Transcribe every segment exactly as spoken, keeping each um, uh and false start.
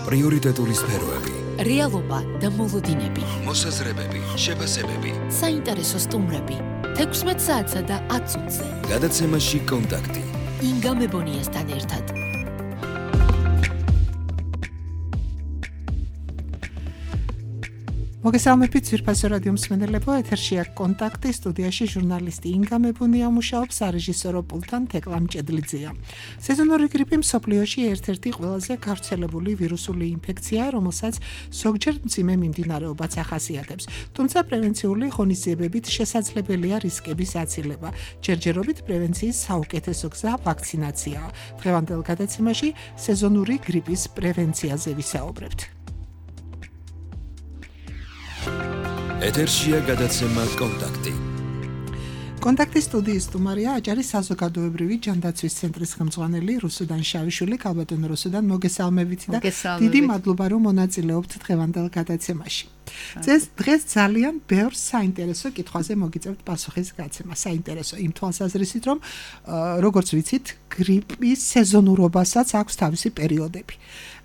პრიორიტეტული სფეროები, რეალობა და მოლოდინები, მოსაზრებები, შეფასებები, საინტერესო სტუმრები, თექვსმეტ საათსა და ათ წუთზე. გადაცემაში კონტაქტი. ინგა მებონიასთან ერთად. მოგესალმებით ძვირფასო რადიო მსმენელებო, ეთერშია კონტაქტი, სტუდიაში ჟურნალისტი ინგა მებონია მუშაობს, სარეჟისორო პულტთან თეკლა მჭედლიძეა. სეზონური გრიპი მსოფლიოში ერთ-ერთი ყველაზე გავრცელებული ვირუსული ინფექციაა, რომელსაც ზოგჯერ მძიმე მიმდინარეობაც ახასიათებს. თუმცა პრევენციული ღონისძიებებით შესაძლებელია რისკების აცილება. ჯერჯერობით პრევენციის საუკეთესო გზა ვაქცინაციაა. დღევანდელ გადაცემაში სეზონური გრიპის პრევენციაზე ვისაუბრებთ. ეთერშია გადაცემა კონტაქტი. კონტაქტის სტუდიის სტუმარია აჭარის საზოგადოებრივი ჯანდაცვის ცენტრის ხელმძღვანელი რუსუდან შავიშვილი. ქალბატონო რუსუდან, მოგესალმებით და დიდი მადლობა რომ მონაწილეობთ დღევანდელ გადაცემაში. დღეს ძალიან ბევრ საინტერესო კითხვაზე მოგიწევთ პასუხის გაცემა. საინტერესო იმ თვალსაზრისით, რომ როგორც ვიცით, გრიპის სეზონურობასაც აქვს თავისი პერიოდები.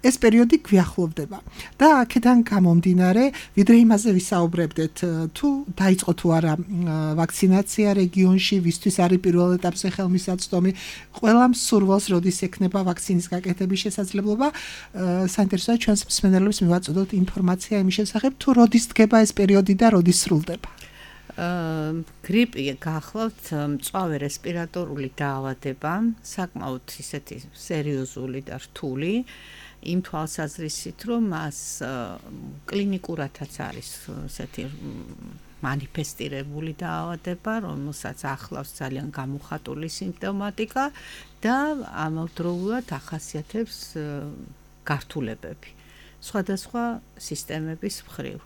ეს პერიოდი გვიახლოვდება და აქედან გამომდინარე, ვიდრე იმაზე ვისაუბრებდეთ, თუ დაიწყო თუ არა ვაქცინაცია რეგიონში, ვისთვის არის პირველ ეტაპზე ხელმისაწვდომი, ყველა მსურველს როდის ექნება ვაქცინის გაკეთების შესაძლებლობა, საინტერესოა ჩვენს მსმენელებს მივაწოდოთ ინფორმაცია იმის შესახებ, თუ როდის დგება ეს პერიოდი და როდის სრულდება. გრიპი გახლავთ მწვავე რესპირატორული დაავადება, საკმაოდ ისეთი სერიოზული და რთული. იმ თვალსაზრისით, რომ მას კლინიკურადაც არის ესეთი მანიფესტირებული დაავადება, რომელსაც ახლავს ძალიან გამოხატული სიმპტომატიკა და ამავდროულად ახასიათებს გართულებები სხვადასხვა სისტემების მხრივ.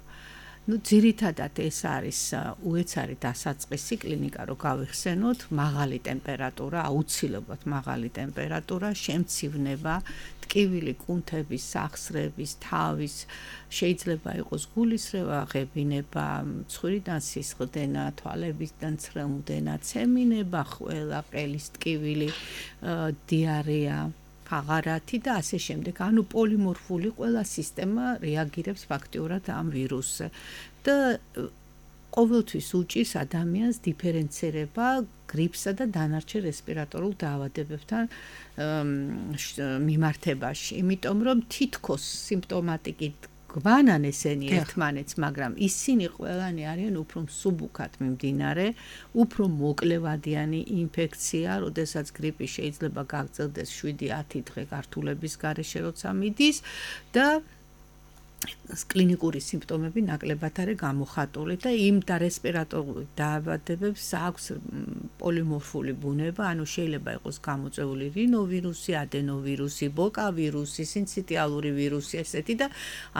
Ну, ძირითადად ეს არის უეცარი დასაწყისი კლინიკა, რომ გავიხსენოთ, მაღალი ტემპერატურა, აუცილებლად მაღალი ტემპერატურა, შემცივნება, ტკივილი კუნთების, სახსრების, თავის, შეიძლება იყოს გულისრევა, ღებინება, მცხვირიდან სისხლდენა, თვალებისგან ცრემლდენა, ცემინება, ყველა ყელის ტკივილი, დიარეა, ფაღარათი და ასე შემდეგ. ანუ პოლიმორფული ყველა სისტემა რეაგირებს ფაქტიურად ამ ვირუსზე და ყოველთვის უჭირს ადამიანს დიფერენცირება გრიპსა და დანარჩენ რესპირატორულ დაავადებებთან მიმართებაში, იმიტომ რომ თითქოს სიმპტომატიკით გვანან ესენი ერთმანეთს, მაგრამ ისინი ყველანი არიან უფრო მსუბუქად მიმდინარე, უფრო მოკლევადიანი ინფექცია, როდესაც გრიპი შეიძლება გაგრძელდეს შვიდი ათი დღე გართულების გარეშე, როცა მიდის და კლინიკური სიმპტომები ნაკლებად არის გამოხატული და იმ და რესპირატორული დაავადებებს აქვს პოლიმორფული ბუნება, ანუ შეიძლება იყოს გამოწვეული რინოვირუსი, ადენოვირუსი, ბოკავირუსი, სინციტიალური ვირუსი ესეთი და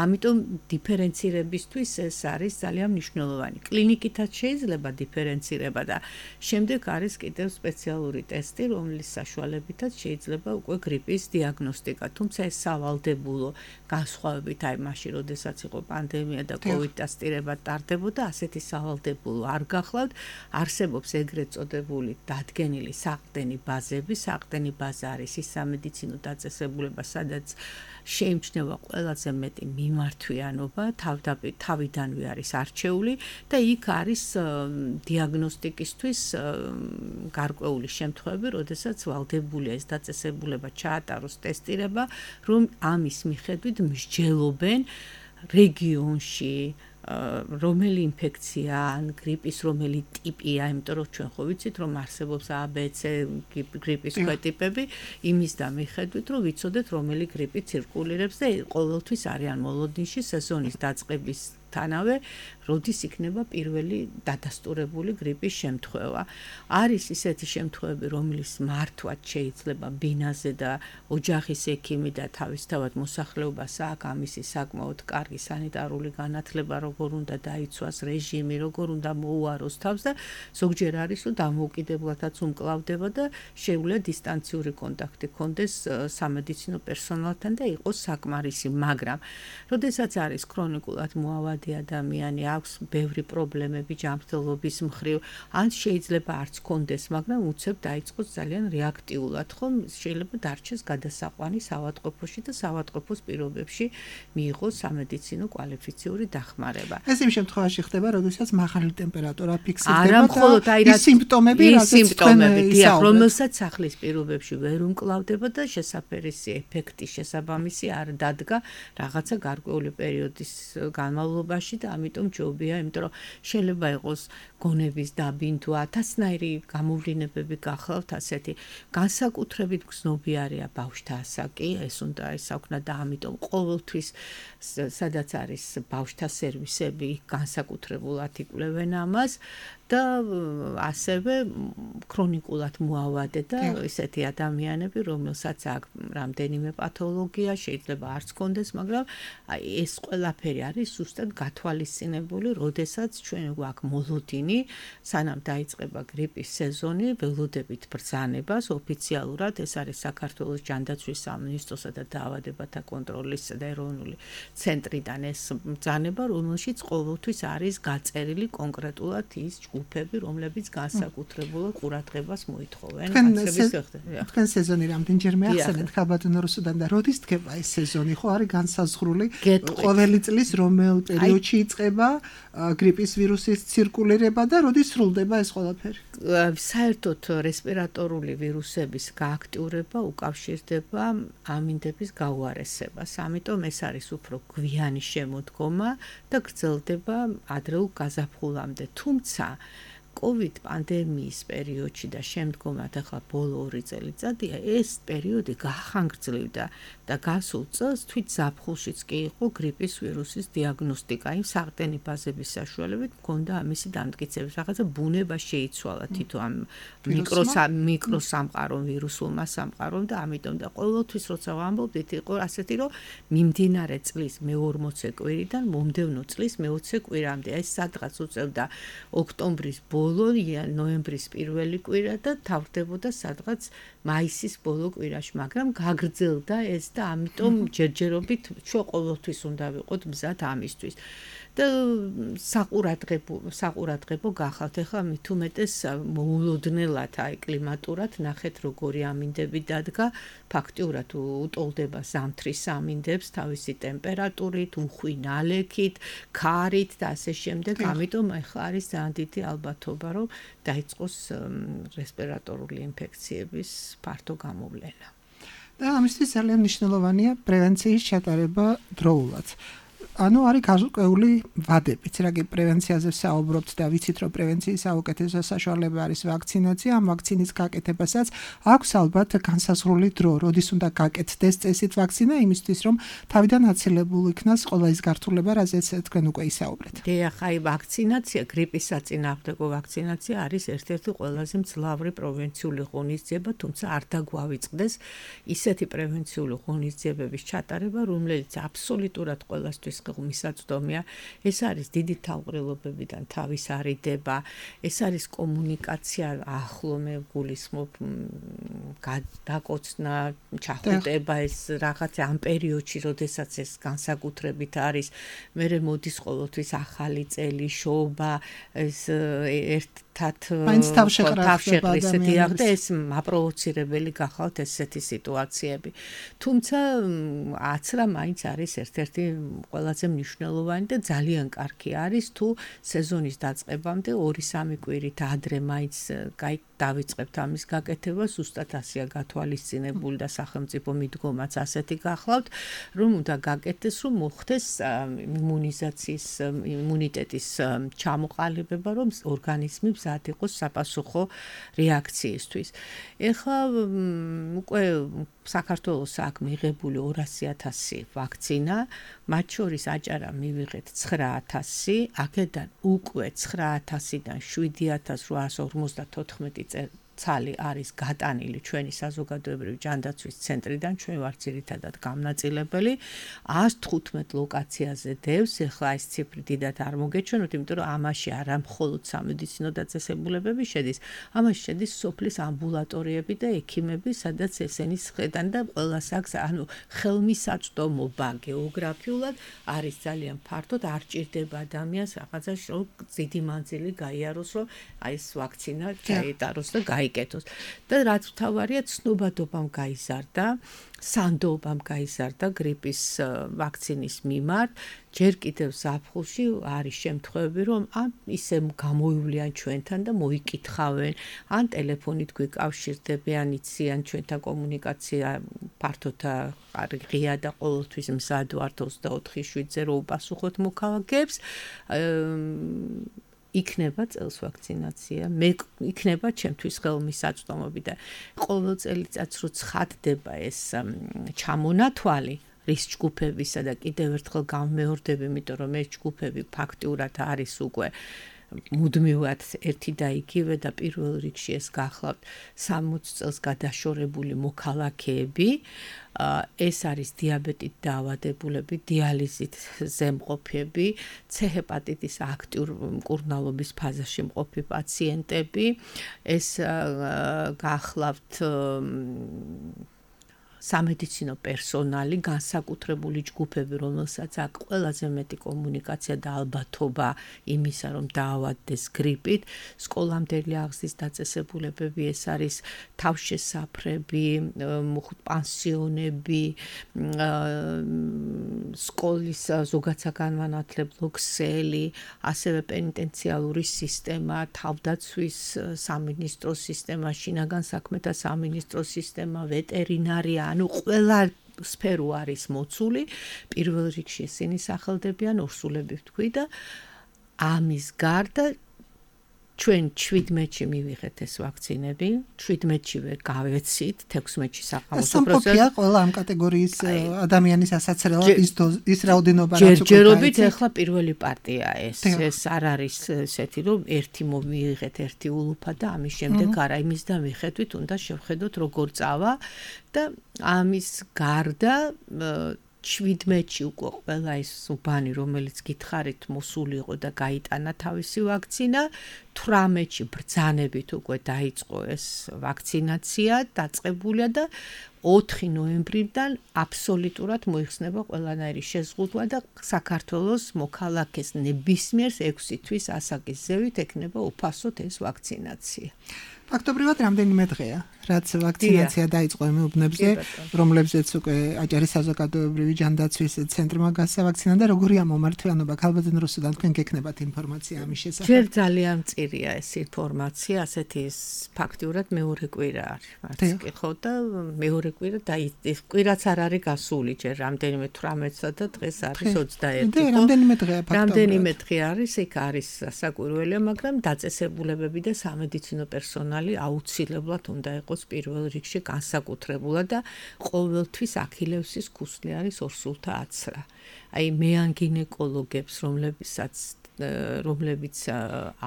ამიტომ დიფერენცირებისთვის ეს არის ძალიან მნიშვნელოვანი. კლინიკითაც შეიძლება დიფერენცირება და შემდეგ არის კიდევ სპეციალური ტესტი, რომლის საშუალებითაც შეიძლება უკვე გრიპის დიაგნოსტიკა, თუმცა ეს სავალდებულო განსხვავებით აი მაშინ როდესაც იყო პანდემია და კოვიდ ტესტირება ტარდებოდა, ასეთი სავალდებულო არ გახლავთ. არსებობს ეგრეთ წოდებული დადგენილი საყრდენი ბაზები. საყრდენი ბაზა არის ის სამედიცინო დაწესებულება, სადაც შეიმჩნევა ყველაზე მეტი მიმართვიანობა, თავიდანვე არის არჩეული და იქ არის დიაგნოსტიკისთვის გარკვეული შემთხვევები, როდესაც ვალდებულია ეს დაწესებულება ჩაატაროს ტესტირება, რომ ამის მიხედვით მსჯელობენ რეგიონში რომელი ინფექცია ან გრიპის რომელი ტიპია, იმიტომ რომ ჩვენ ხო ვიცით, რომ არსებობს A B C გრიპის ქვეტიპები, იმის და მიხედვით, რომ ვიცოდეთ, რომელი გრიპი ცირკულირებს და ყოველთვის არიან მოლოდინში სეზონის დაწყების თანავე, როდის იქნება პირველი დადასტურებული გრიპის შემთხვევა. არის ისეთი შემთხვევები, რომლის მართვაც შეიძლება ბინაზე და ოჯახის ექიმი და თავისთავად მოსახლეობას აქვს ამისი საკმაოდ კარგი სანიტარული განათლება, როგორ უნდა დაიცვას რეჟიმი, როგორ უნდა მოუაროს თავს და ზოგჯერ არის, რომ დამოუკიდებლადაც უმკლავდება და შეუძლია დისტანციური კონტაქტი ქონდეს სამედიცინო პერსონალთან და იყოს საკმარისი, მაგრამ როდესაც არის ქრონიკულად მოავადი მზარდი ადამიანი, აქვს ბევრი პრობლემები ჯანმრთელობის მხრივ, ან შეიძლება არც კონდეს, მაგრამ უცებ დაიწყოს ძალიან რეაქტიულად, ხომ შეიძლება დარჩეს გადასაყვანი საავადმყოფოში და საავადმყოფოს პირობებში მიიღოს სამედიცინო კვალიფიციური დახმარება. ეს იმ შემთხვევაში ხდება, როდესაც მაღალი ტემპერატურა ფიქსირდება არა მხოლოდ აი ის სიმპტომები, რაზეც თქვენ ისაუბრეთ, რომელსაც სახლის პირობებში ვერ უმკლავდება და შესაფერისი ეფექტი შესაბამისი არ დადგა რაღაცა გარკვეული პერიოდის განმავლობაში და ამიტომ ჯობია, იმიტომ რომ შეიძლება იყოს გონების დაბინდვა, ათასნაირი გამოვლინებები გახლავთ ასეთი. განსაკუთრებით გზნობიარეა ბავშვთა ასაკი, ეს უნდა ისაუქნა და ამიტომ ყოველთვის სადაც არის ბავშვთა სერვისები, განსაკუთრებულად იკვლევენ ამას და ასევე ქრონიკულად მოავადე და ესეთი ადამიანები, რომელსაც აქვს რამდენიმე პათოლოგია, შეიძლება არც კონდეს, მაგრამ აი ეს ყველაფერი არის ზუსტად გათვალისწინებული, როდესაც ჩვენ გვაქვს მოლოდინი, სანამ დაიწყება გრიპის სეზონი, ველოდებით ბრძანებას ოფიციალურად, ეს არის საქართველოს ჯანდაცვის სამინისტროსა და დაავადებათა კონტროლის და ეროვნული ცენტრიდან ეს ბრძანება, რომელშიც ყოველთვის არის გაწერილი კონკრეტულად ის ჯგუფები, რომლებიც განსაკუთრებულად ყურადღებას მოითხოვენ. თქვენ სეზონი რამდენჯერმე ახსენეთ ქაბატონო რუსუდან და როდის დგება ეს სეზონი? ხო არის განსაზღვრული ყოველი წლის რომელ პერიოდში იწყება გრიპის ვირუსის ცირკულირება და როდის სრულდება ეს ყველაფერი? საერთოდ რესპირატორული ვირუსების გააქტიურება უკავშირდება ამინდების გაუარესებას. ამიტომ ეს არის უფრო გვიანი შემოდგომა და გრძელდება ადრეულ გაზაფხულამდე. თუმცა COVID პანდემიის პერიოდში და შემდგომად ახლა ბოლო ორი წელიწადია ეს პერიოდი გახანგრძლივდა და გასულ წელს თვით ზაფხულშიც კი იყო გრიპის ვირუსის დიაგნოსტიკა. იმ საყრდენი ბაზების საშუალებით მქონდა ამისი დამტკიცების რაღაცა ბუნება შეიცვალა თითო ამ მიკროსამყარო ვირუსულმა სამყარომ და ამიტომ და ყოველთვის როცა ვამბობდით იყო ასეთი რომ მიმდინარე წლის მეორმოცე კვირიდან მომდევნო წლის მეოცე კვირამდე ეს სადღაც უწევდა ოქტომბრის ბოლო ნოემბრის პირველი კვირა და თავდებოდა სადღაც მაისის ბოლო კვირაში, მაგრამ გაგრძელდა ეს და ამიტომ ჯერჯერობით ჩვენ ყოველთვის უნდა ვიყოთ მზად ამისთვის. და საყურადღებო საყურადღებო გახავთ ახლა მით უმეტეს მოულოდნელად აი კლიმატურად ნახეთ როგორი ამინდები დადგა ფაქტიურად უტოლდება ზამთრის ამინდებს თავისი ტემპერატურით, უხვი ნალექით, ქარით და ასე შემდეგ. ამიტომ ახლა არის ძალიან დიდი ალბათობა რომ დაიწყოს რესპირატორული ინფექციების ფართო გამოვლენა. და ამისთვის ძალიან მნიშვნელოვანია პრევენციის ჩატარება დროულად. ანუ არის გარკვეული ვადებიც, რაგი პრევენციაზე საუბრობთ და ვიცით რომ პრევენციის საუკეთესო საშუალება არის ვაქცინაცია, ამ ვაქცინის გაკეთებასაც აქვს ალბათ განსაზღვრული დრო, როდის უნდა გაკეთდეს წესით ვაქცინა, იმისთვის რომ თავიდან აცილებულ იქნას ყველა ის გართულება, რაზეც თქვენ უკვე ისაუბრეთ. დიახ, აი ვაქცინაცია, გრიპის საწინააღმდეგო ვაქცინაცია არის ერთ-ერთი ყველაზე მძლავრი პრევენციული ღონისძიება, თუმცა არ დაგვავიწყდეს ისეთი პრევენციული ღონისძიებების ჩატარება, რომელიც აბსოლუტურად ყველასთვის მისაწვდომია. ეს არის დიდი თავყრილობებიდან თავის არიდება, ეს არის კომუნიკაცია ახლო მე გულისხმობ დაკოცნა, ჩახუტება ეს რაღაცა ამ პერიოდში, როდესაც ეს განსაკუთრებით არის, მერე მოდის ყოველთვის ახალი წელი, შოობა, ეს ერთ თავშეყრის და ეს მაპროვოცირებელი გახავთ ესეთი სიტუაციები. თუმცა აცრა მაინც არის ერთ-ერთი ყველაზე მნიშვნელოვანი და ძალიან კარგი არის თუ სეზონის დაწყებამდე ორი სამი კვირით ადრე მაინც კაი დავიწყებთ ამის გაკეთება, ზუსტად ასეა გათვალისწინებული და სახელმწიფო მიდგომაც ასეთი გახლავთ, რომ უნდა გაკეთდეს, რომ მოხდეს იმუნიზაციის იმუნიტეტის ჩამოყალიბება, რომ ორგანიზმი მზად იყოს საპასუხო რეაქციისთვის. ეხლა უკვე საქართველოს აქვს მიღებული ორასი ათასი ვაქცინა, მათ შორის აჭარა მივიღეთ ცხრა ათასი, აქედან უკვე ცხრა ათასიდან შვიდი ათას რვაას ორმოცდათოთხმეტი ცალი არის გატანილი ჩვენი საზოგადოებრივი ჯანდაცვის ცენტრიდან, ჩვენ ვართ ძირითადად გამნაწილებელი ას თხუთმეტ ლოკაციაზე დევს, ეხლა ეს ციფრი დიდად არ მოგეჩვენოთ, იმიტომ რომ ამაში არა მხოლოდ სამედიცინო დაწესებულებები შედის, ამაში შედის სოფლის ამბულატორიები და ექიმები, სადაც ესენი ხედან და ყველას აქვს, ანუ ხელმისაწვდომობა გეოგრაფიულად არის ძალიან ფართოდ, არ ჭირდება ადამიანს რაღაცაში რომ დიდი მანძილი გაიაროს, რომ აი ეს ვაქცინა გაიტაროს და გაიკეთოს. და რაც მთავარია, ცნობადობამ გაიზარდა, სანდობამ გაიზარდა გრიპის ვაქცინის მიმართ. ჯერ კიდევ ზაფხულში არის შემთხვევები, რომ ან ისე გამოივლიან ჩვენთან და მოიკითხავენ, ან ტელეფონით გვიკავშირდებიან, იციან ჩვენთან კომუნიკაცია ფართოდ ღია და ყოველთვის მზად ვართ ოცდაოთხი შვიდზე რომ უპასუხოთ მოქალაქეებს. იქნება წელს ვაქცინაცია, მე იქნება ჩემთვის ხელმისაწვდომები და ყოველ წელიწადს რო ცხადდება ეს ჩამონათვალი რის ჯგუფებისა და კიდევ ერთხელ გამეორდები, იმიტომ რომ ეს ჯგუფები ფაქტიურად არის უკვე მუდმივად ერთი და იგივე და პირველ რიგში ეს გახლავთ სამოცი წელს გადაშორებული მოქალაქეები. ეს არის დიაბეტით დაავადებულები, დიალიზით ზემყოფები, C ჰეპატიტის აქტიურ მკურნალობის ფაზაში მყოფი პაციენტები, ეს გახლავთ სამედიცინო პერსონალი, განსაკუთრებული ჯგუფები, რომელსაც აქვს ყველაზე მეტი კომუნიკაცია და ალბათობა იმისა, რომ დაავადდეს გრიპით, სკოლამდელი აღზრდის დაწესებულებები, ეს არის თავშესაფრები, პანსიონები, სკოლის ზოგადსაგანმანათლებლო ქსელი, ასევე პენიტენციალური სისტემა, თავდაცვის სამინისტროს სისტემა, შინაგან საქმეთა სამინისტროს სისტემა, ვეტერინარია, ანუ ყველა სფერო არის მოცული, პირველ რიგში ისინი სახელდებიან ორსულები ვთქვი და ამის გარდა ჩვენ შვიდმეტში მივიღეთ ეს ვაქცინები, შვიდმეტშივე გავეცით, თექვსმეტში საყამოსო პროცესი. სამყოფია ყველა ამ კატეგორიის ადამიანის ასაცრელად ის ის რაოდენობა რაც უკვე ჯერჯერობით ეხლა პირველი პარტია ეს. ეს არ არის ესეთი, რომ ერთი მოვიღეთ, ერთი ულუფა და ამის შემდეგ არა იმის და მიხედვით უნდა შევხედოთ როგორ წავა და ამის გარდა შვიდმეტში უკვე ყველა ის უბანი, რომელიც გითხარით, მოსული იყო და გაიტანა თავისი ვაქცინა, თვრამეტში ბრძანებით უკვე დაიწყო ეს ვაქცინაცია, დაწყებულია და ოთხი ნოემბრიდან აბსოლუტურად მოიხსნება ყველანაირი შეზღუდვა და საქართველოს მოქალაქეს ნებისმიერს ექვსი თვის ასაკის ზევით ექნება უფასოდ ეს ვაქცინაცია. ფაქტობრივად რამდენიმე დღეა, რაც ვაქცინაცია დაიწყო იმ უბნებზე, რომლებზეც უკვე აჭარის საზოგადოებრივი ჯანდაცვის ცენტრმა გასავაქცინა და როგორია მომართვიანობა ქალბატონ რუსუდან თქვენ გექნებათ ინფორმაცია ამის შესახებ? ჯერ ძალიან მწირია ეს ინფორმაცია, ასეთი ფაქტიურად მეორე კვირა არის. მარც კითხო და მეორე კვირა და ის კვირაც არ არის გასული, ჯერ რამდენიმე თვრამეტსა და დღეს არის ოცდაერთი. და რამდენიმე დღეა ფაქტობრივად. რამდენიმე დღე არის, იქ არის საკვირველია, მაგრამ დაწესებულებები და სამედიცინო პერსონალი აუცილებლად უნდა იყოს პირველ რიგში განსაკუთრებულად და ყოველთვის აქილევსის ქუსლი არის ორსულთა აცრა. აი მე ან გინეკოლოგებს, რომლებსაც რომლებიც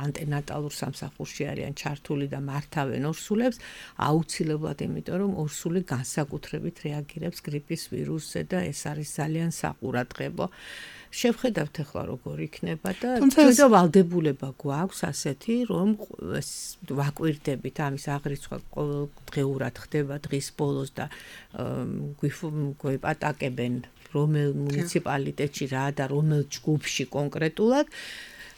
ანტენატალურ სამსახურში არიან ჩართული და მართავენ ორსულებს, აუცილებლად, იმიტომ რომ ორსული განსაკუთრებით რეაგირებს გრიპის ვირუსზე და ეს არის ძალიან საყურადღებო. შევხედავთ ახლა როგორ იქნება და თუმცა ვალდებულება გვაქვს ასეთი, რომ ვაკვირდებით ამის აღრიცხვა ყოველდღიურად ხდება დღის ბოლოს და გვიპატაკებენ რომელ მუნიციპალიტეტში რა და რომელ ჯგუფში კონკრეტულად.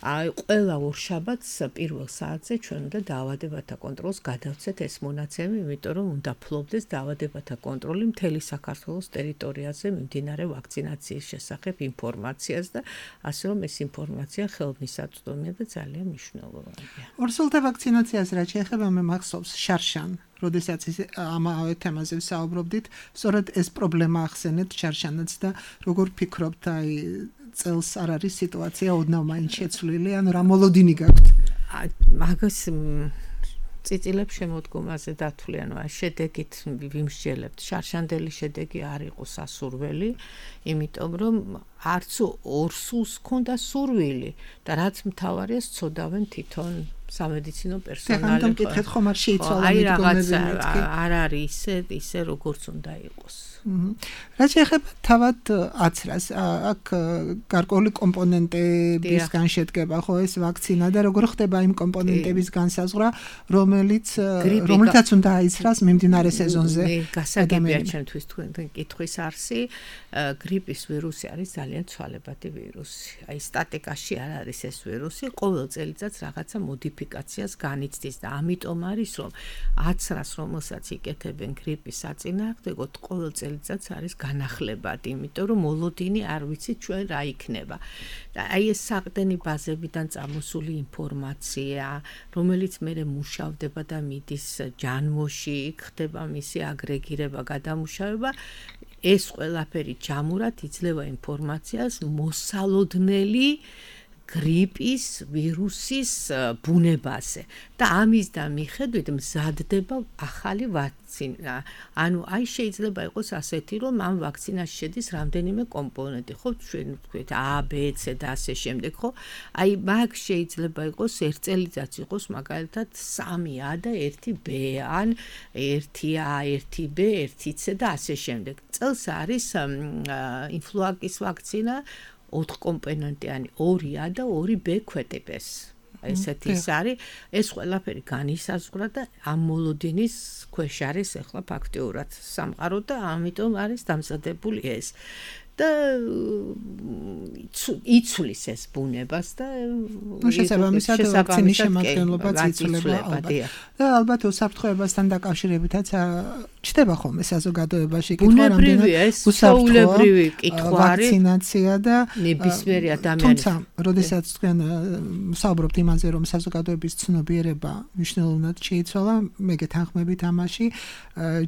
აი ყველა ორშაბათს პირველ საათზე ჩვენ უნდა დაავადებათა კონტროლს გადავცეთ ეს მონაცემი, იმიტომ რომ უნდა ფლობდეს დაავადებათა კონტროლი მთელი საქართველოს ტერიტორიაზე მიმდინარე ვაქცინაციის შესახებ ინფორმაციას და ასე რომ ეს ინფორმაცია ხელმისაწვდომია და ძალიან მნიშვნელოვანია. ორსულთა ვაქცინაციას რაც შეეხება მე მახსოვს შარშან, როდესაც ამავე თემაზე ვსაუბრობდით, სწორედ ეს პრობლემა ახსენეთ შარშანაც და როგორ ფიქრობთ აი წელს არ არის სიტუაცია ოდნავ მაინც შეცვლილი, ანუ რა მოლოდინი გაქვთ? მაგას წიწილებს შემოდგომაზე დათვლიანო, შედეგით ვიმსჯელებთ. შარშანდელი შედეგი არ იყო სასურველი, იმიტომ რომ არც ორსულს ჰქონდა სურვილი და რაც მთავარია, სწოდავენ თვითონ სამედიცინო პერსონალი. ხან მკითხეთ ხომ არ შეიცვალა აი რაღაცა არ არის ისე ისე როგორც უნდა იყოს. რა შეეხება თავად აცრას, აქ გარკვეული კომპონენტებისგან შედგება ხო ეს ვაქცინა და როგორ ხდება იმ კომპონენტების განსაზღვრა, რომელიც რომლითაც უნდა აიცრას მიმდინარე სეზონზე. მე გასაგებია ჩემთვის თქვენ კითხვის არსი, გრიპის ვირუსი არის ძალიან ცვალებადი ვირუსი. აი სტატიკაში არ არის ეს ვირუსი, ყოველ წელიწადს რაღაცა მოდიფიკაციას განიცდის და ამიტომ არის რომ აცრას რომელსაც იკეთებენ გრიპის საწინააღმდეგოდ ყოველ წელიწადს არის განახლებადი, იმიტომ რომ მოლოდინი არ ვიცით ჩვენ რა იქნება. და აი ეს საყრდენი ბაზებიდან წამოსული ინფორმაცია, რომელიც მერე მუშავდება და მიდის ჯანმოში, ხდება მისი აგრეგირება, გადამუშავება, ეს ყველაფერი ჯამურად იძლევა ინფორმაციას მოსალოდნელი გრიპის ვირუსის ბუნებაზე და ამის და მიხედვით მზადდება ახალი ვაქცინა. ანუ აი შეიძლება იყოს ასეთი, რომ ამ ვაქცინაში შედის რამდენიმე კომპონენტი, ხო, ჩვენ ვთქვით A, B, C და ასე შემდეგ, ხო? აი მაგ შეიძლება იყოს ერთ წელიწადს იყოს მაგალითად სამი A და ერთი B, ან ერთი A, ერთი B, ერთი C და ასე შემდეგ. წელს არის ინფლუენზის ვაქცინა ოთხ კომპონენტიანი ორი A და ორი B ქვეტებს. ესეთი ის არის, ეს ყველაფერი განისაზღვრა და ამ მოლოდინის ქვეშ არის ახლა ფაქტიურად სამყარო და ამიტომ არის დამზადებული ეს. და იცვლის ეს ბუნებას და შესაბამისად ვაქცინის შემადგენლობაც იცვლება ალბათ. და ალბათ უსაფრთხოებასთან დაკავშირებითაც ჩდება ხოლმე საზოგადოებაში კითხვა რამდენად უსაფრთხოებრივი კითხვა არის ვაქცინაცია და ნებისმიერი ადამიანის. თუმცა, როდესაც თქვენ საუბრობთ იმაზე, რომ საზოგადოების ცნობიერება მნიშვნელოვნად შეიცვალა, მე გეთანხმებით ამაში,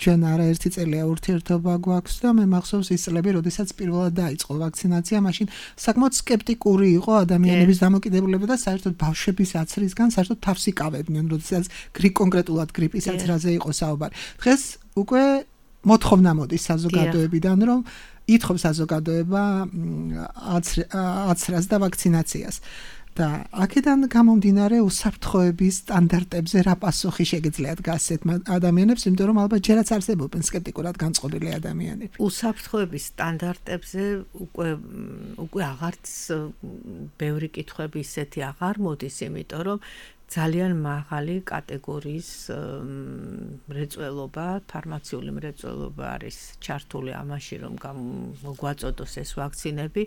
ჩვენ არაერთი წელია ურთიერთობა გვაქვს და მე მახსოვს ის წლები, როდესაც პირველად დაიწყო ვაქცინაცია, მაშინ საკმაოდ სკეპტიკური იყო ადამიანების დამოკიდებულება და საერთოდ ბავშვების აცრისგან საერთოდ თავს იკავებდნენ, როდესაც კონკრეტულად გრიპის აცრაზე იყო საუბარი. დღეს უკვე მოთხოვნა მოდის საზოგადოებიდან, რომ ითხოვს საზოგადოება აცრას და ვაქცინაციას. და აქედან გამომდინარე უსაფრთხოების სტანდარტებზე რა პასუხი შეგიძლიათ გასცეთ ადამიანებს, იმიტომ რომ ალბათ ჯერაც არსებობენ სკეპტიკურად განწყობილი ადამიანები. უსაფრთხოების სტანდარტებზე უკვე უკვე აღარც ბევრი კითხვები ისეთი აღარ მოდის, იმიტომ რომ ძალიან მაღალი კატეგორიის მრეწველობა, ფარმაციული მრეწველობა არის ჩართული ამაში, რომ მოგვაწოდოს ეს ვაქცინები.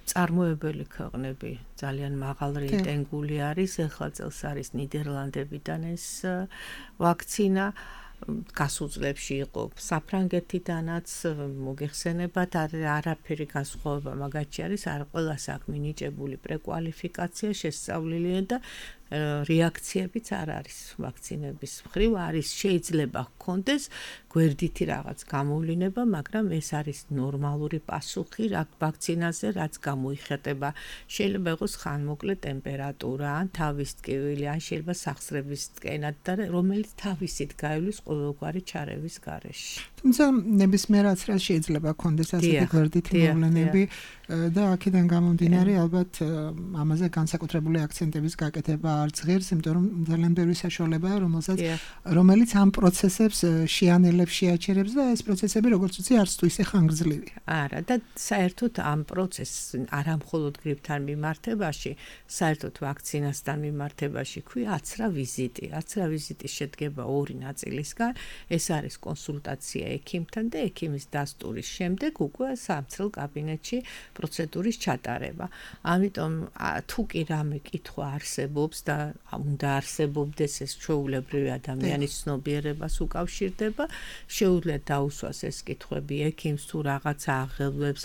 მწარმოებელი ქვეყნები ძალიან მაღალ რეიტინგული არის, ახლა წელს არის ნიდერლანდებიდან ეს ვაქცინა. გასულ წლებში იყო საფრანგეთიდანაც, მოგეხსენებათ, არაფერი განსხვავება მაგათში არის, არ ყველას აქვს მინიჭებული პრეკვალიფიკაცია, შესწავლილი და რეაქციებიც არ არის ვაქცინების მხრივ, არის შეიძლება ჰქონდეს გვერდითი რაღაც გამოვლინება, მაგრამ ეს არის ნორმალური პასუხი რა ვაქცინაზე, რაც გამოიხატება. შეიძლება იყოს ხანმოკლე ტემპერატურა, ან თავის ტკივილი, ან შეიძლება სახსრების ტკენა და რომელიც თავისით გაივლის ყოველგვარი ჩარევის გარეშე. თუმცა ნებისმიერ აცრას შეიძლება ჰქონდეს ასეთი გვერდითი მოვლენები და აქედან გამომდინარე ალბათ ამაზე განსაკუთრებული აქცენტების გაკეთება არც ღირს, იმიტომ რომ ძალიან ბევრი საშუალებაა, რომელსაც რომელიც ამ პროცესებს შეანელებს, შეაჩერებს და ეს პროცესები როგორც ვთქვი, არც თუ ისე ხანგრძლივია. არა, და საერთოდ ამ პროცესს არა მხოლოდ გრიპთან მიმართებაში, საერთოდ ვაქცინასთან მიმართებაში ქვი აცრა ვიზიტი. აცრა ვიზიტი შედგება ორი ნაწილისგან, ეს არის კონსულტაცია ექიმთან და ექიმის დასტურის შემდეგ უკვე სამცრელ კაბინეტში პროცედურის ჩატარება. ამიტომ თუ კი რამე კითხვა არსებობს და უნდა არსებობდეს ეს ჩვეულებრივი ადამიანის ცნობიერებას უკავშირდება, შეუძლია დაუსვას ეს კითხვები ექიმს თუ რაღაცა აღელვებს,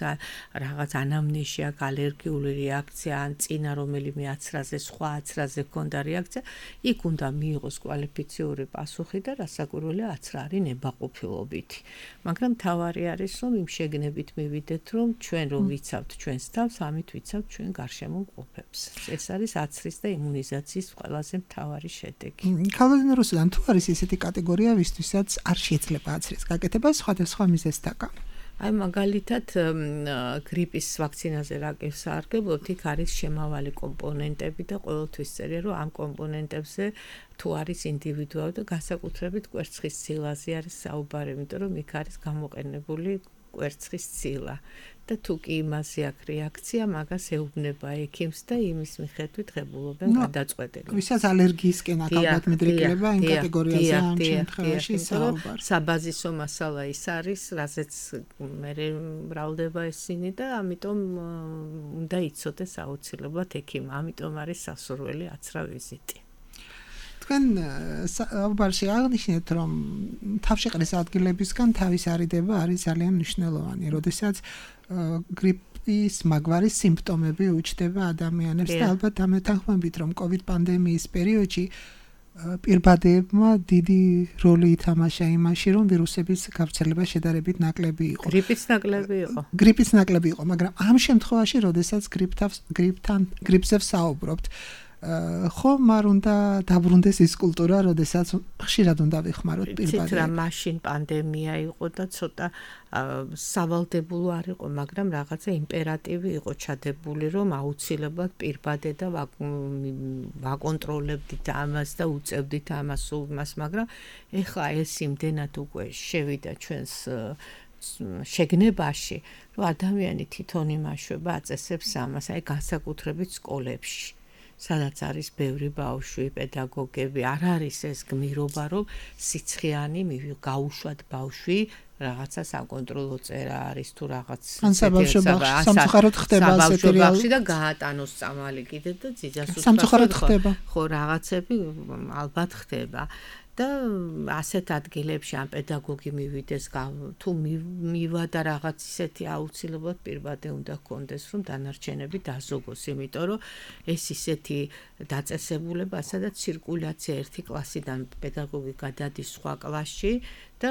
რაღაც ანამნეზია, ალერგიული რეაქცია, ან წინა რომელიმე აცრაზე, სხვა აცრაზე ჰქონდა რეაქცია, იქ უნდა მიიღოს კვალიფიციური პასუხი და რასაკვირველია აცრა არის ნებაყოფილობითი. მაგრამ თავარი არის, რომ იმ შეგნებით მივიდეთ, რომ ჩვენ რომ ვიცავთ ჩვენს თავს, ამით ვიცავთ ჩვენ გარშემო მყოფებს. ეს არის აცრის და იმუნიზაციის ყველაზე მთავარი შედეგი. ქალბატონ რუსუდან, თუ არის ესეთი კატეგორია, ვისთვისაც არ შეიძლება აცრის გაკეთება სხვადასხვა მიზეზთაგან? აი მაგალითად გრიპის ვაქცინაზე რა გესარგებლობთ, იქ არის შემავალი კომპონენტები და ყოველთვის წერია, რომ ამ კომპონენტებზე თუ არის ინდივიდუალური და განსაკუთრებით კვერცხის ცილაზე არის საუბარი, იმიტომ რომ იქ არის გამოყენებული კვერცხის ცილა და თუ კი იმაზე აქვს რეაქცია, magას ეუბნება ექიმს და იმის მიხედვით ღებულობენ გადაწყვეტილებას. ვისაც ალერგიისკენ აქვს ალბათ მიდრეკილება იმ კატეგორიაზე ამ შემთხვევაში საუბარი. საბაზისო მასალა ის არის, რაზეც მე მრავლდება ესენი და ამიტომ უნდა იცოდეს აუცილებლად ექიმი. ამიტომ არის სასურველი აცრა ვიზიტი. თქვენ საუბარში აღნიშნეთ, რომ თავშეყრის ადგილებისგან თავის არიდება არის ძალიან მნიშვნელოვანი, როდესაც გრიპის მაგვარი სიმპტომები უჩნდება ადამიანებს და ალბათ ამეთანხმებით, რომ COVID პანდემიის პერიოდში პირბადებმა დიდი როლი ითამაშა იმაში, რომ ვირუსების გავრცელება შედარებით ნაკლები იყო. გრიპის ნაკლები იყო. გრიპის ნაკლები იყო, მაგრამ ამ შემთხვევაში, როდესაც გრიპთან გრიპზე ვსაუბრობთ, ხომ არ უნდა დაბრუნდეს ის კულტურა, როდესაც ხშირად უნდა ვიხმაროთ პირბადები. ცით რა მაშინ პანდემია იყო და ცოტა სავალდებულო არ იყო, მაგრამ რაღაცა იმპერატივი იყო ჩადებული, რომ აუცილებლად პირბადე და ვაკონტროლებდით ამას და უწევდით ამას უმას, მაგრამ ეხლა ეს იმდენად უკვე შევიდა ჩვენს შეგნებაში, რომ ადამიანი თვითონ იმაშვება, აწესებს ამას, აი განსაკუთრებით სკოლებში. სადაც არის ბევრი ბავშვი, პედაგოგები, არ არის ეს გმირობა, რომ სიცხიანი გაუშვათ ბავშვი, რაღაცა საკონტროლო წერა არის თუ რაღაც სამწუხაროდ ხდება ასეთი რეალობა და გაატანოს წამალი კიდე და ძიძას სამწუხაროდ ხდება. ხო, რაღაცები ალბათ ხდება. და ასეთ ადგილებში ამ პედაგოგი მივიდეს თუ მივა და რაღაც ისეთი აუცილებლად პირბადე უნდა ჰქონდეს, რომ დანარჩენები დაზოგოს, იმიტომ რომ ეს ისეთი დაწესებულება, სადაც ცირკულაცია ერთი კლასიდან პედაგოგი გადადის სხვა კლასში და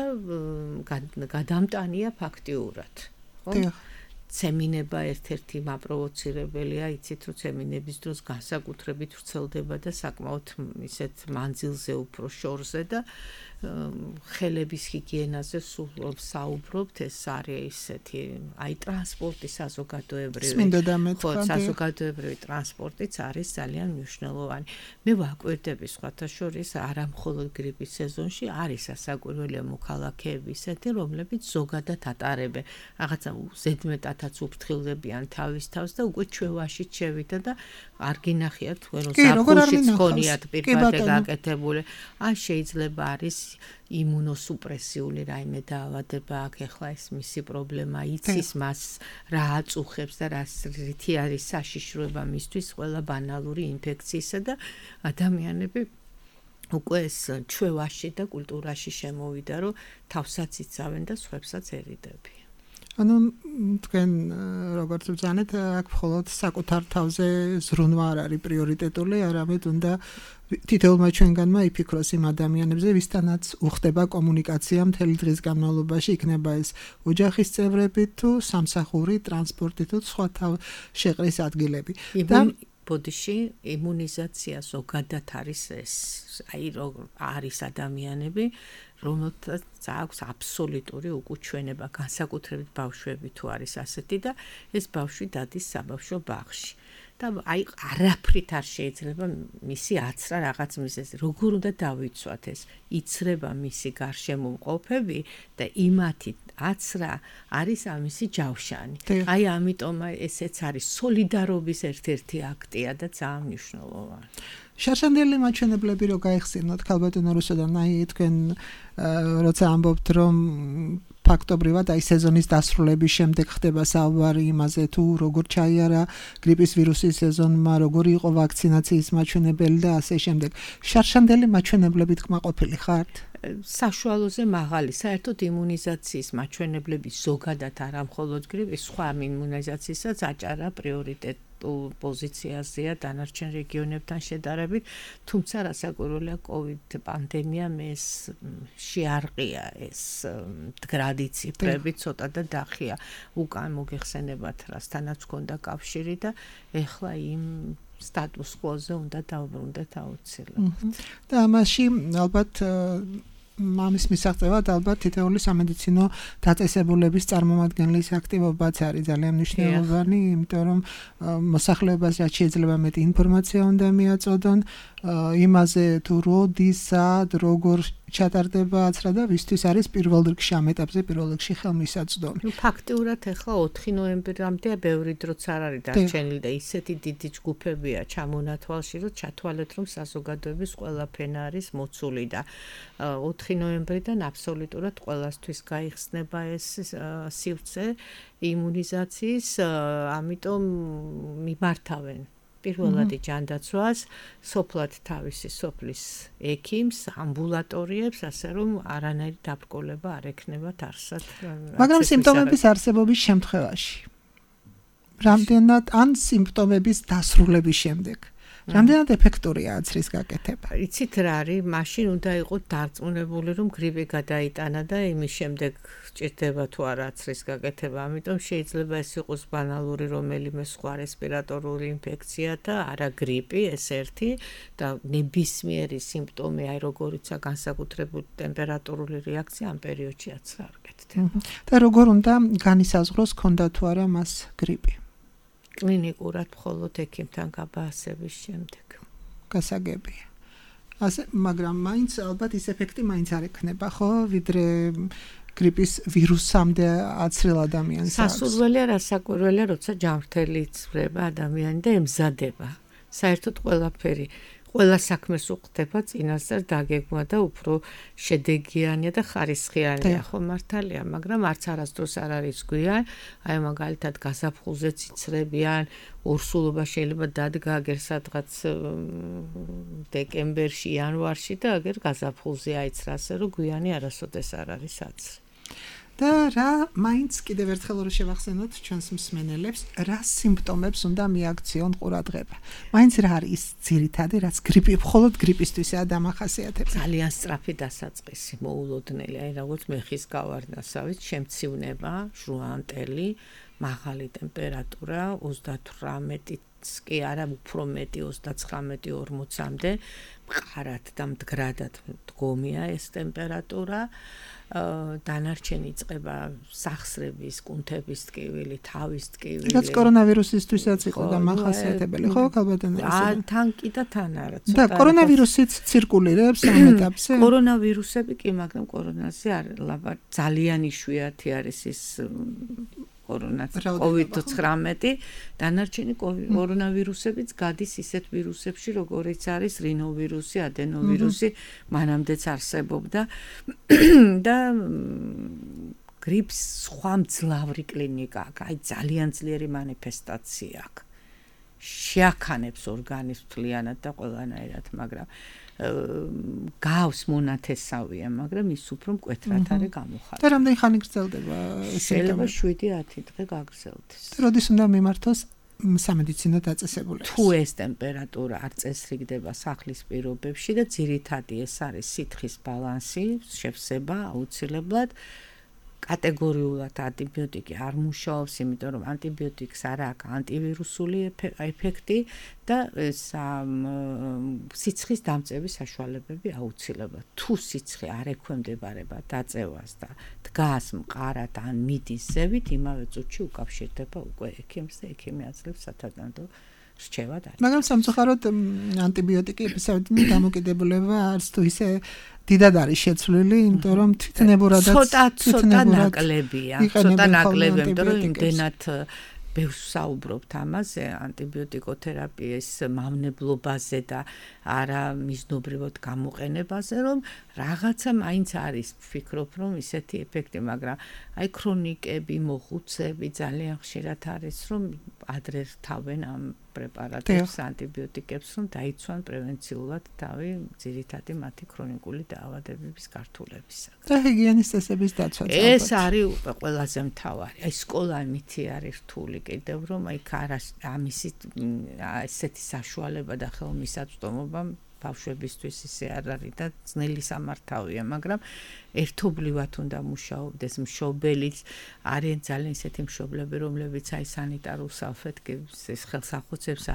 გადამტანია ფაქტიურად. ხო? ცემინება ერთ-ერთი მაპროვოცირებელია, იცით რომ ცემინების დროს განსაკუთრებით ვრცელდება და საკმაოდ ისეთ მანძილზე უფრო შორზე და ხელების ჰიგიენაზე სულ საუბრობთ, ეს არის ისეთი აი ტრანსპორტი საზოგადოებრივი ხო საზოგადოებრივი ტრანსპორტიც არის ძალიან მნიშვნელოვანი. მე ვაკვირდები სხვათა შორის არა მხოლოდ გრიპის სეზონში არის ასაკვირველია მოქალაქეები ისეთი, რომლებიც ზოგადად ატარებენ რაღაცა ზედმეტადაც უფრთხილდებიან თავის თავს და უკვე ჩვევაში შევიდა და არ გინახიათ თქვენ რომ საფულშიც ხონიათ პირბადე გაკეთებული. ან შეიძლება არის იმუნოსუპრესიული რაიმე დაავადება აქ ეხლა ეს მისი პრობლემა იცის მას რა აწუხებს და რა რითი არის საშიშროება მისთვის ყველა ბანალური ინფექციისა და ადამიანები უკვე ეს ჩვევაში და კულტურაში შემოვიდა რომ თავსაც იცავენ და სხვებსაც ერიდები. ანუ თქვენ როგორც ვძანეთ, აქ მხოლოდ საკუთარ თავზე ზრუნვა არ არის პრიორიტეტული, არამედ უნდა თითოეულმა ჩვენგანმა იფიქროს იმ ადამიანებზე, ვისთანაც უხდება კომუნიკაცია მთელი დღის განმავლობაში, იქნება ეს ოჯახის წევრები თუ სამსახური, ტრანსპორტი თუ სხვა თავშეყრის ადგილები. და ბოდიში იმუნიზაცია ზოგადად არის ეს, აი რომ არის ადამიანები რომელთაც აქვს აბსოლუტური უკუჩვენება, განსაკუთრებით ბავშვები თუ არის ასეთი და ეს ბავშვი დადის საბავშვო ბაღში. და აი არაფრით არ შეიძლება მისი აცრა რაღაც მიზეზი. როგორ უნდა დავიცვათ ეს? იცრება მისი გარშემო მყოფები და იმათი აცრა არის ამისი ჯავშანი. აი ამიტომ ესეც არის სოლიდარობის ერთ-ერთი აქტია და ძალიან მნიშვნელოვანი. შარშანდელი მაჩვენებლები რო გაიხსენოთ ქალბატონო რუსოდან, აი თქვენ როცა ამბობთ რომ ფაქტობრივად აი სეზონის დასრულების შემდეგ ხდება საუბარი იმაზე თუ როგორ ჩაიარა გრიპის ვირუსის სეზონმა, როგორი იყო ვაქცინაციის მაჩვენებელი და ასე შემდეგ. შარშანდელი მაჩვენებლებით კმაყოფილი ხართ? საშუალოზე მაღალი, საერთოდ იმუნიზაციის მაჩვენებლები ზოგადად არა მხოლოდ გრიპის, სხვა იმუნიზაციასაც აჭარა პრიორიტეტ პოზიციაზეა დანარჩენ რეგიონებთან შედარებით, თუმცა რასაკვირველია COVID პანდემიამ ეს შეარყია ეს მდგრადი ციფრები ცოტა და დახია უკან მოგეხსენებათ რასთანაც ჰქონდა კავშირი და ეხლა იმ სტატუს კვოზე უნდა დავბრუნდეთ აუცილებლად. და ამაში ალბათ მამის მისაღწევად ალბათ თითოეული სამედიცინო დაწესებულების წარმომადგენლის აქტივობაც არის ძალიან მნიშვნელოვანი, იმიტომ რომ მოსახლეობას რაც შეიძლება მეტი ინფორმაცია უნდა მიაწოდონ იმაზე თუ როდის, სად, როგორ ჩატარდება აცრა და ვისთვის არის პირველ რიგში ამ ეტაპზე პირველ რიგში ხელმისაწვდომი. ნუ ფაქტიურად ახლა ოთხი ნოემბრამდე ბევრი დროც არ არის დარჩენილი და ისეთი დიდი ჯგუფებია ჩამონათვალში, რომ ჩათვალეთ რომ საზოგადოების ყველა ფენა არის მოცული და ოთხი ნოემბრიდან აბსოლუტურად ყველასთვის გაიხსნება ეს სივრცე იმუნიზაციის, ამიტომ მიმართავენ პირველადი ჯანდაცვას, სოფლად თავისი სოფლის ექიმს, ამბულატორიებს, ასე რომ არანაირი დაბრკოლება არ ექნებათ არსად. მაგრამ სიმპტომების არსებობის შემთხვევაში, რამდენად ან სიმპტომების დასრულების შემდეგ რამდენად ეფექტურია აცრის გაკეთება? იცით რა არის, მაშინ უნდა იყოთ დარწმუნებული, რომ გრიპი გადაიტანა და იმის შემდეგ ჭირდება თუ არა აცრის გაკეთება. ამიტომ შეიძლება ეს იყოს ბანალური რომელიმე სხვა რესპირატორული ინფექცია და არა გრიპი, ეს ერთი და ნებისმიერი სიმპტომი, აი როგორიცაა განსაკუთრებული ტემპერატურული რეაქცია ამ პერიოდში აცრა არ გეთდება. და როგორ უნდა განისაზღვროს ქონდა თუ არა მას გრიპი? კლინიკურად მხოლოდ ექიმთან გაბაასების შემდეგ. გასაგებია. ასე, მაგრამ მაინც ალბათ ის ეფექტი მაინც არ ექნება, ხო, ვიდრე გრიპის ვირუსამდე აცრილ ადამიანს. სასურველია, რასაკვირველია, როცა ჯანმრთელი იცვლება ადამიანი და ემზადება. საერთოდ ყველაფერი ყველა საქმეს უხდება წინასწარ დაგეგმვა და უფრო შედეგიანია და ხარისხიანია, ხო მართალია, მაგრამ არც არასდროს არ არის გვიან, აი მაგალითად გაზაფხულზე ციცრებიან, ორსულობა შეიძლება დადგა აგერ სადღაც დეკემბერში, იანვარში და აგერ გაზაფხულზე აიცრა, ასე რომ გვიანი არასოდეს არ არის აცრი. და რა მაინც კიდევ ერთხელ რო შევახსენოთ ჩვენს მსმენელებს, რა სიმპტომებს უნდა მიაქციონ ყურადღება. მაინც რა არის ძირითადი, რაც გრიპი, მხოლოდ გრიპისთვისაა დამახასიათებელი. ძალიან სწრაფი დასაწყისი, მოულოდნელი, აი როგორც მეხის გავარდნასავით, შემცივნება, ჟუანტელი, მაღალი ტემპერატურა, ოცდათვრამეტიც კი არა, უფრო მეტი ოცდაცხრამეტი ორმოცამდე, მყარად და მდგრადად დგომია ეს ტემპერატურა. დანარჩენი იწყება სახსრების, კუნთების ტკივილი, თავის ტკივილი. რაც კორონავირუსისთვისაც იყო დამახასიათებელი, ხო, ქალბატონო? აა, თან კი და თან არა, ცოტა. და კორონავირუსიც ცირკულირებს ამ ეტაპზე? კორონავირუსები კი, მაგრამ კორონაზე არ ლაბა ძალიან იშვიათი არის ის კოვიდ ცხრამეტი, დანარჩენი კორონავირუსებიც გადის ისეთ ვირუსებში, როგორიც არის რინოვირუსი, ადენოვირუსი, მანამდეც არსებობდა და გრიპს სხვა მძლავრი კლინიკა აქვს, აი ძალიან ძლიერი მანიფესტაცია აქვს. შეაქანებს ორგანიზმს მთლიანად და ყველანაირად, მაგრამ გავს მონათესავია, მაგრამ ის უფრო მკვეთრად არის გამოხატული. და რამდენი ხანი გრძელდება ეს? შეიძლება შვიდი ათი დღე გაგრძელდეს. როდის უნდა მიმართოს სამედიცინო დაწესებულებას? თუ ეს ტემპერატურა არ წესრიგდება სახლის პირობებში და ძირითადი ეს არის სითხის ბალანსი, შევსება აუცილებლად. კატეგორიულად ანტიბიოტიკი არ მუშაობს, იმიტომ რომ ანტიბიოტიკს არ აქვს ანტივირუსული ეფექტი და სიცხის დამწევის საშუალებები აუცილებლად. თუ სიცხე არ ექვემდებარება დაწევას და დგას მყარად ან მიდის ზევით, იმავე წუთში უკავშირდება უკვე ექიმს და ექიმი აძლევს სათანადო რჩევად. მაგრამ სამწუხაროდ ანტიბიოტიკების დამოკიდებულება არც თუ ისე დიდად არის შეცვლილი, იმიტომ რომ თვითნებურადაც ცოტა ცოტა ნაკლებია, ცოტა ნაკლებია, იმიტომ რომ იმდენად ბევრს საუბრობთ ამაზე, ანტიბიოტიკოთერაპიის მავნებლობაზე და არა მიზნობრივად გამოყენებაზე, რომ რაღაცა მაინც არის, ვფიქრობ, რომ ისეთი ეფექტი, მაგრამ აი ქრონიკები, მოხუცები ძალიან ხშირად არის, რომ ადრე რთავენ ამ პრეპარატებს, ანტიბიოტიკებს, რომ დაიცვან პრევენციულად თავი ძირითადი მათი ქრონიკული დაავადებების გართულებისაგან. და ჰიგიენის წესების დაცვა. ეს არის უკვე ყველაზე მთავარი. აი სკოლა მითი არის რთული კიდევ, რომ აი ამისი ესეთი საშუალება და ხელმისაწვდომობა ბავშვებისთვის ისე არ არის და ძნელი სამართავია, მაგრამ ერთობლივად უნდა მუშაობდეს მშობელიც არიან ძალიან ისეთი მშობლები რომლებიც აი სანიტარულ საფეთქებს ეს ხელსახუცებს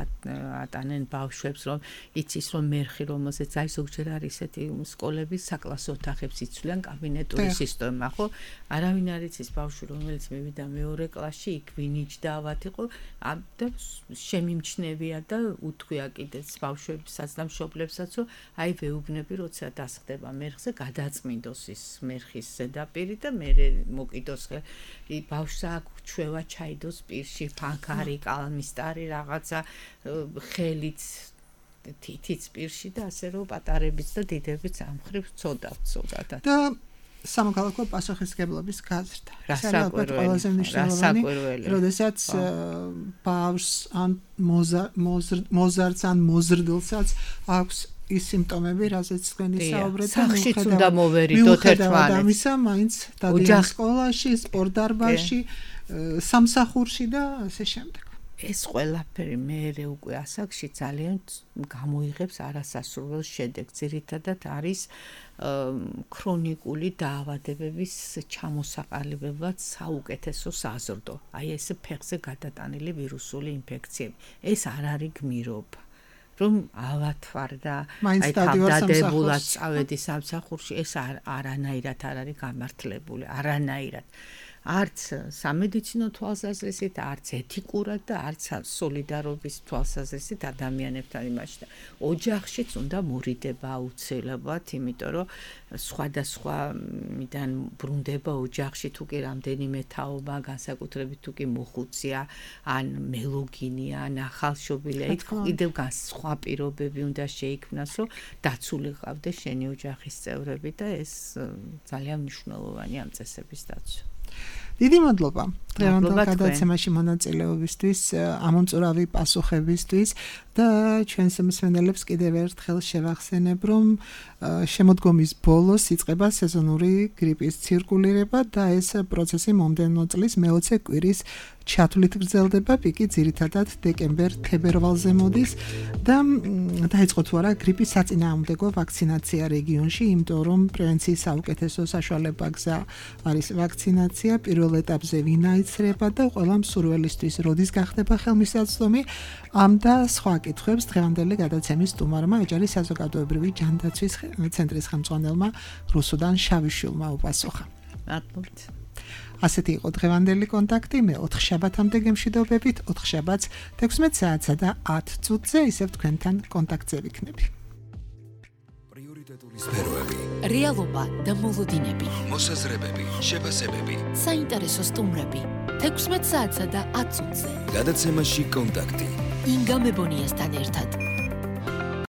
ატანენ ბავშვებს რომ იცის რომ მერხი რომელზეც აი ზოგჯერ არის ისეთი სკოლები საკლასო ოთახებს იცვლიან კაბინეტური სისტემა ხო არავინ არ იცის ბავშვი რომელიც მივიდა მეორე კლასში იქ ვინიჯდავად იყო და შემიმჩნევია და უთქვია კიდეც ბავშვებსაც და მშობლებსაც რომ აი ვეუბნები როცა დასხდება მერხზე გადაწმინდოს ის მერხის ზედაპირი და მე მოკიდოს ბავშვს აქვს ჩვევა ჩაიდოს პირში ფანქარი კალმისტარი რაღაცა ხელიც თითიც პირში და ასე რომ პატარებიც და დიდებიც ამ ხრივ ცოდავთ ზოგადად და სამოქალაქო პასუხისმგებლობის გაზრდა. რასაკვირველი, რასაკვირველი. როდესაც ბავშვს ან მოზარდს ან მოზრდილსაც აქვს ის სიმპტომები, რაზეც თქვენი საუბრეთ, სახშიც უნდა მოვერიდოთ ერთმანეთს. ამისა მაინც დადიან სკოლაში, სპორტდარბაზში, სამსახურში და ასე შემდეგ. ეს ყველაფერი მე უკვე ასაკში ძალიან გამოიღებს არასასურველ შედეგს. ძირითადად არის ქრონიკული დაავადებების ჩამოსაყალიბებლად საუკეთესო საზრდო. აი ეს ფეხზე გადატანილი ვირუსული ინფექციები. ეს არ არის გმირობა. რომ ავათვარ და აი თავდადებულად წავედი სამსახურში, ეს არანაირად არ არის გამართლებული, არანაირად. არც სამედიცინო თვალსაზრისით, არც ეთიკურად და არც სოლიდარობის თვალსაზრისით ადამიანებთან იმაში და ოჯახშიც უნდა მორიდება აუცილებლად, იმიტომ რომ სხვადასხვა მიდან ბრუნდება ოჯახში თუ კი რამდენიმე თაობა, განსაკუთრებით თუ კი მოხუცია, ან მელოგინია, ან ახალშობილია, იქ კიდევ სხვა პირობები უნდა შეიქმნას, რომ დაცული ყავდეს შენი ოჯახის წევრები და ეს ძალიან მნიშვნელოვანია ამ წესების დაცვა. დიდი მადლობა დღევანდელ გადაცემაში მონაწილეობისთვის, ამომწურავი პასუხებისთვის და ჩვენს მსმენელებს კიდევ ერთხელ შევახსენებ, რომ შემოდგომის ბოლოს იწყება სეზონური გრიპის ცირკულირება და ეს პროცესი მომდევნო წლის მეოცე კვირის ჩათვლით გრძელდება, პიკი ძირითადად დეკემბერ-თებერვალზე მოდის და დაიწყო თუ არა გრიპის საწინააღმდეგო ვაქცინაცია რეგიონში, იმიტომ რომ პრევენციის საუკეთესო საშუალება გზა არის ვაქცინაცია, პირველ ეტაპზე ვინაიცრება და ყველა მსურველისთვის როდის გახდება ხელმისაწვდომი, ამ და სხვა კითხვებს დღევანდელი გადაცემის სტუმარმა ეჯარის საზოგადოებრივი ჯანდაცვის ცენტრის ხელმძღვანელმა რუსუდან შავიშვილმა უპასუხა. მადლობთ. ასეთი იყო დღევანდელი კონტაქტი, მე ოთხ შაბათამდე გემშვიდობებით, ოთხ შაბათს თექვსმეტ საათსა და ათ წუთზე ისევ თქვენთან კონტაქტზე ვიქნები. პრიორიტეტული სფეროები, რეალობა და მოლოდინები, მოსაზრებები, შეფასებები, საინტერესო სტუმრები, თექვსმეტ საათსა და ათ წუთზე. გადაცემაში კონტაქტი. ინგა მებონიასთან ერთად.